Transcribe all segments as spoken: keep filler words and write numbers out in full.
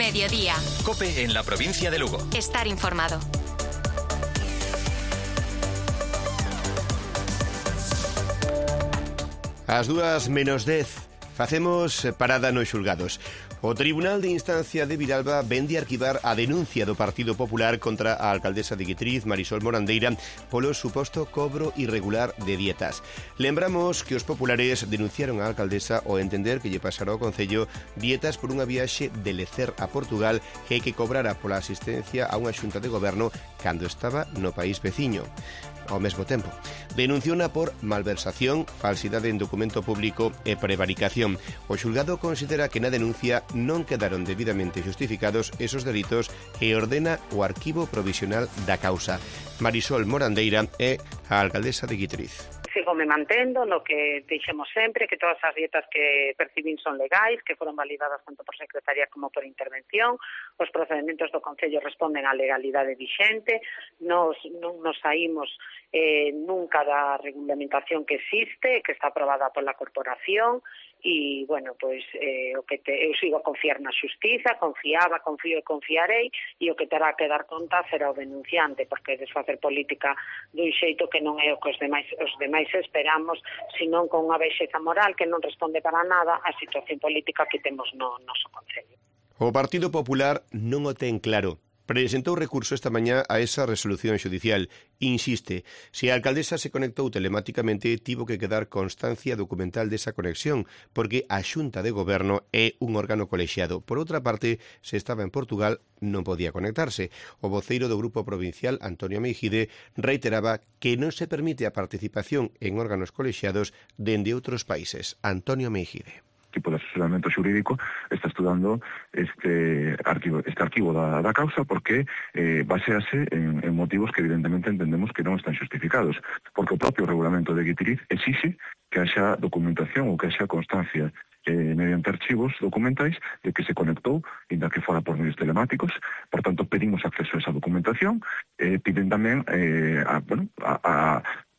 Mediodía. COPE en la provincia de Lugo. Estar informado. Ás dúas menos dez facemos parada nos xulgados. O Tribunal de Instancia de Vilalba vende arquivar a denuncia do Partido Popular contra a alcaldesa de Guitriz, Marisol Morandeira, polo suposto cobro irregular de dietas. Lembramos que os populares denunciaron a alcaldesa ao entender que lle pasara ao Concello dietas por unha viaxe de Lecer a Portugal e que cobrara pola asistencia a unha xunta de goberno cando estaba no país veciño. Ao mesmo tempo, denunciona por malversación, falsidade en documento público e prevaricación. O xulgado considera que na denuncia non quedaron debidamente justificados esos delitos e ordena o arquivo provisional da causa. Marisol Morandeira é a alcaldesa de Guitriz. Sigo me mantendo no que dixemos sempre, que todas as dietas que percibín son legais, que foron validadas tanto por secretaría como por intervención, os procedementos do Concello responden á legalidade vixente, nos, non nos saímos eh, nunca da regulamentación que existe, que está aprobada pola corporación, e, bueno, pois, eh, o que te, eu sigo a confiar na xustiza, confiaba, confío e confiarei, e o que terá que dar conta será o denunciante, porque desfacer política dun xeito que non é o que os demais, os demais esperamos, senón con unha baixeza moral que non responde para nada á situación política que temos no noso Concello. O Partido Popular non o ten claro. Presentou recurso esta mañá a esa resolución xudicial. Insiste, se a alcaldesa se conectou telemáticamente, tivo que quedar constancia documental desa conexión, porque a Xunta de Goberno é un órgano colexiado. Por outra parte, se estaba en Portugal, non podía conectarse. O voceiro do Grupo Provincial, Antonio Meijide, reiteraba que non se permite a participación en órganos colexiados dende outros países. Antonio Meijide. Tipo de asesoramento xurídico está estudando este arquivo, este arquivo da, da causa porque eh, basease en, en motivos que evidentemente entendemos que non están justificados, porque o propio regulamento de Guitriz exixe que haxa documentación ou que haxa constancia eh, mediante archivos documentais de que se conectou, inda que fora por medios telemáticos. Por tanto, pedimos acceso a esa documentación, eh, piden tamén eh, a, bueno, a, a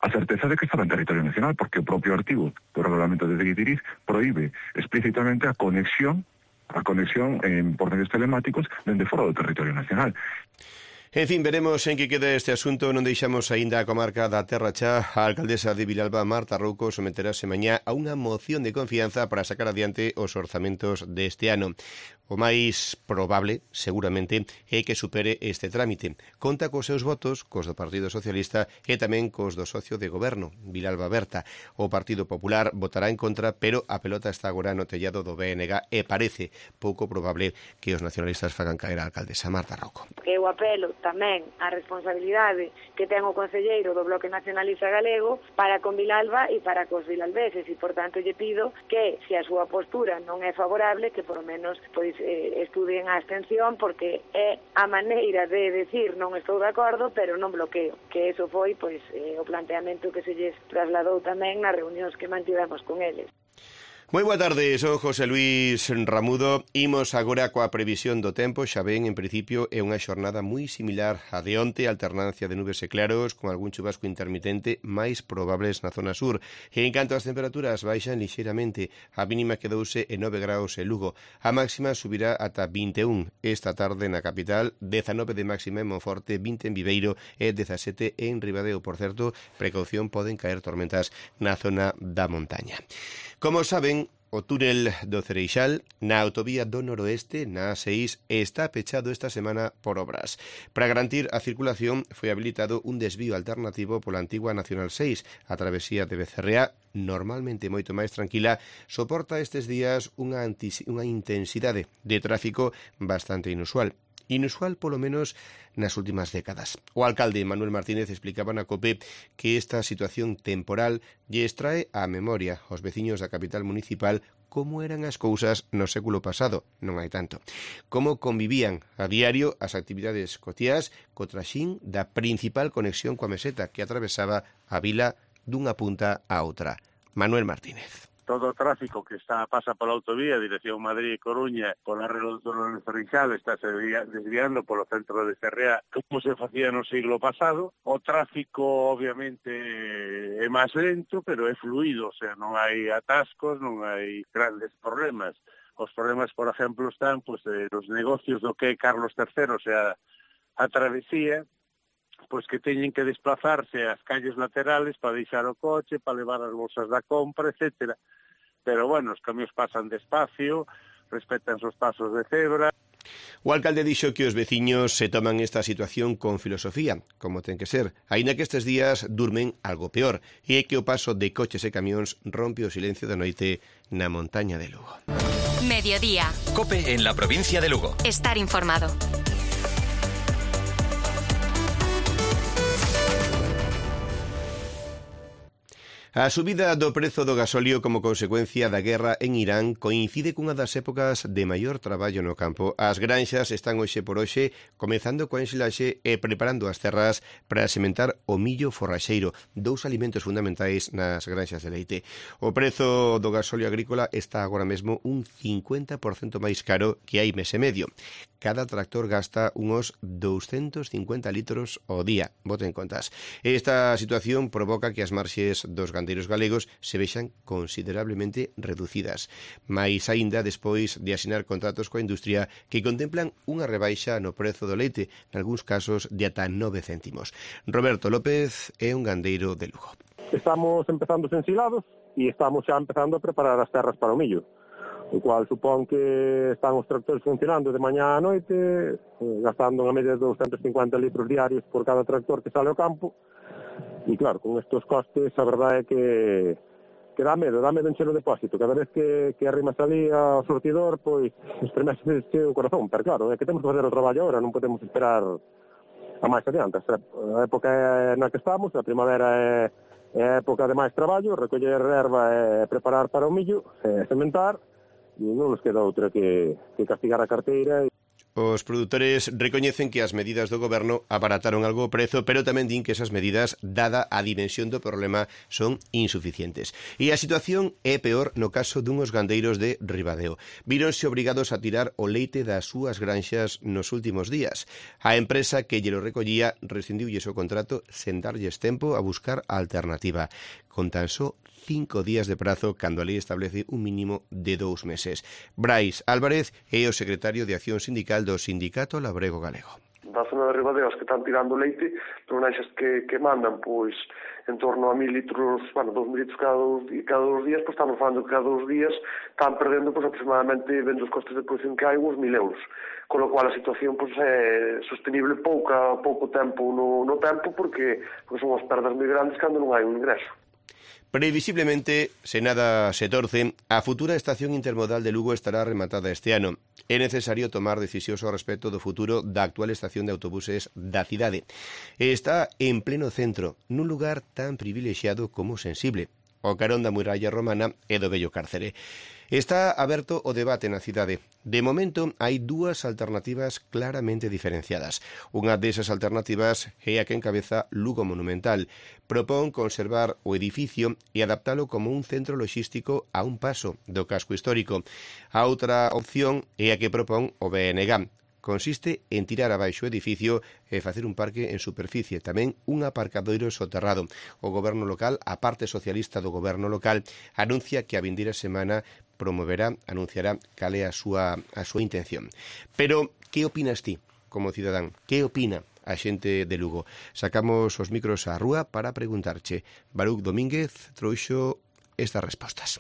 a certeza de que estaba en territorio nacional, porque o propio artigo do regulamento de Guitriz proíbe explícitamente a conexión a conexión en, por medios telemáticos dende fora do territorio nacional. En fin, veremos en que queda este asunto. Non deixamos aínda a comarca da Terra Chá. A alcaldesa de Vilalba, Marta Rouco, someterase mañá a unha moción de confianza para sacar adiante os orzamentos deste ano. O máis probable, seguramente, é que supere este trámite. Conta cos seus votos, cos do Partido Socialista e tamén cos do socio de goberno, Vilalba Berta. O Partido Popular votará en contra, pero a pelota está agora no tellado do B N G e parece pouco probable que os nacionalistas fagan caer a alcaldesa Marta Rouco. Eu apelo tamén a responsabilidade que ten o concelleiro do Bloque Nacionalista Galego para con Vilalba e para cos vilalbeses, e, por tanto, lle pido que, se a súa postura non é favorable, que, por lo menos, pois, eh, estudien a abstención, porque é a maneira de decir non estou de acordo, pero non bloqueo, que eso foi, pois, eh, o planteamento que se lles trasladou tamén nas reunións que mantivemos con eles. Moi boa tarde, son José Luis Ramudo. Imos agora coa previsión do tempo. Xa ven, en principio, é unha xornada moi similar a de onte, alternancia de nubes e claros, con algún chubasco intermitente máis probables na zona sur. E en canto ás temperaturas, baixan lixeiramente. A mínima quedouse en nove graus en Lugo. A máxima subirá ata vinte e un esta tarde na capital, dezanove de máxima en Monforte, vinte en Viveiro e dezasete en Ribadeo. Por certo, precaución, poden caer tormentas na zona da montaña. Como saben, o túnel do Cereixal na autovía do noroeste, na A seis, está pechado esta semana por obras. Para garantir a circulación foi habilitado un desvío alternativo pola antigua Nacional seis. A travesía de Becerrea, normalmente moito máis tranquila, soporta estes días unha, unha intensidade de tráfico bastante inusual. Inusual, polo menos, nas últimas décadas. O alcalde Manuel Martínez explicaba na COPE que esta situación temporal lle extrae á memoria aos veciños da capital municipal como eran as cousas no século pasado, non hai tanto. Como convivían a diario as actividades cotiás co traxín da principal conexión coa meseta que atravesaba a vila dunha punta a outra. Manuel Martínez. todo o tráfico que está pasa pola autovía, dirección Madrid e Coruña, pola redonda de Cereixal, está se desviando polo centro de Cerrea, como se facía no siglo pasado. O tráfico, obviamente, é máis lento, pero é fluido, o sea, non hai atascos, non hai grandes problemas. Os problemas, por exemplo, están pues, eh, los negocios do que é Carlos terceiro, o sea, a travesía, pois que teñen que desplazarse ás calles laterales para deixar o coche, para levar as bolsas da compra, etcétera. Pero, bueno, os camións pasan despacio, respetan os pasos de cebra. O alcalde dixo que os veciños se toman esta situación con filosofía, como ten que ser, aínda que estes días durmen algo peor, e é que o paso de coches e camións rompe o silencio da noite na montaña de Lugo. Mediodía. COPE en la provincia de Lugo. Estar informado. A subida do prezo do gasóleo como consecuencia da guerra en Irán coincide cunha das épocas de maior traballo no campo. As granxas están hoxe por hoxe comezando coa ensilaxe e preparando as terras para sementar o millo forraxeiro, dous alimentos fundamentais nas granxas de leite. O prezo do gasóleo agrícola está agora mesmo un cincuenta por cento máis caro que hai mes e medio. Cada tractor gasta unos doscientos cincuenta litros ao día, boten contas. Esta situación provoca que as marxes dos gandeiros galegos se vexan considerablemente reducidas, mais aínda despois de asinar contratos coa industria que contemplan unha rebaixa no prezo do leite, nalgúns casos de ata nove céntimos. Roberto López é un gandeiro de Lugo. Estamos empezando os ensilados e estamos xa empezando a preparar as terras para o millo, o cual supón que están os tractores funcionando de mañá a noite, gastando unha media de doscientos cincuenta litros diarios por cada tractor que sale ao campo. E claro, con estes costes, a verdade é que, que dá medo, dá medo encher o depósito. Cada vez que, que arrimas ali ao sortidor, pois, estremece o corazón. Pero claro, é que temos que fazer o traballo agora, non podemos esperar a máis adiante. A época é na que estamos, a primavera é, é a época de máis traballo, recoller erva e preparar para o millo, e sementar, e non nos queda outra que, que castigar a carteira. Os produtores recoñecen que as medidas do goberno abarataron algo o prezo, pero tamén din que esas medidas, dada a dimensión do problema, son insuficientes. E a situación é peor no caso dunhos gandeiros de Ribadeo. Víronse obrigados a tirar o leite das súas granxas nos últimos días. A empresa que lle lo recollía rescindiulles o contrato sen darlles tempo a buscar a alternativa, con tan só cinco días de prazo cando a lei establece un mínimo de dous meses. Brais Álvarez é o secretario de Acción Sindical do Sindicato Labrego Galego. Da zona de Ribadeo que están tirando leite, granxas que, que mandan pois en torno a mil litros, bueno, dos mil litros cada dos, cada dos días, pois estamos falando que cada dos días están perdendo pois aproximadamente, vendo os costes de produción que hai, uns mil euros. Con lo cual a situación pois é sostenible pouca, pouco tempo no, no tempo, porque, porque son as perdas moi grandes cando non hai un ingreso. Previsiblemente, se nada se torce, a futura estación intermodal de Lugo estará rematada este ano. É necesario tomar decisións ao respecto do futuro da actual estación de autobuses da cidade. Está en pleno centro, nun lugar tan privilexiado como sensible, o carón da muralla romana e do vello cárcere. Está aberto o debate na cidade. De momento, hai dúas alternativas claramente diferenciadas. Unha desas alternativas é a que encabeza Lugo Monumental. Propón conservar o edificio e adaptalo como un centro logístico a un paso do casco histórico. A outra opción é a que propón o B N G. Consiste en tirar abaixo o edificio e facer un parque en superficie, tamén un aparcadoiro soterrado. O goberno local, a parte socialista do goberno local, anuncia que a vindeira semana promoverá, anunciará cal é a súa, a súa intención. Pero, que opinas ti, como cidadán? Que opina a xente de Lugo? Sacamos os micros á rúa para preguntarche. Baruch Domínguez trouxo estas respostas.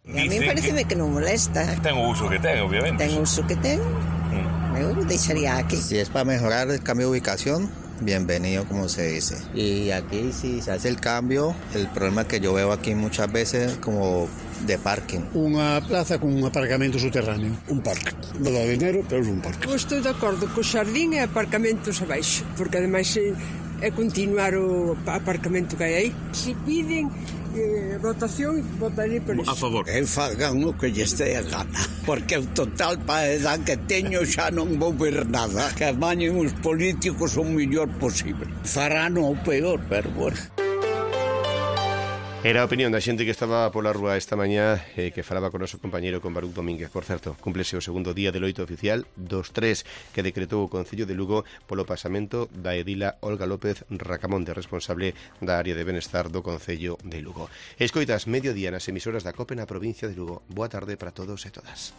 A mí pareceme que non molesta. Ten o uso que ten, obviamente. Ten o uso que ten. Mm. Eu deixaría aquí. Si es para mejorar el cambio de ubicación, bienvenido, como se dice. Y aquí si se hace el cambio, el problema que yo veo aquí muchas veces como de parking. Unha plaza con un aparcamento subterráneo. Un parque. Non dá dinero, pero é un parque. Eu estou de acordo co xardín e aparcamentos abaixo, porque ademais é continuar o aparcamento que hai aí. Se piden eh, votación, votaré por iso. A favor. Que fagan o que lle estea a gana, porque o total para a edad que teño xa non vou ver nada. Que amañen os políticos o mellor posible. Farán o peor, pero bueno. Era a opinión da xente que estaba pola rúa esta mañá eh, que falaba con o noso compañeiro con Baruch Domínguez. Por certo, cúmplese o segundo día de loito oficial dos tres que decretou o Concello de Lugo polo pasamento da edila Olga López Racamonte, responsable da área de benestar do Concello de Lugo. Escoitas Mediodía nas emisoras da COPE na provincia de Lugo. Boa tarde para todos e todas.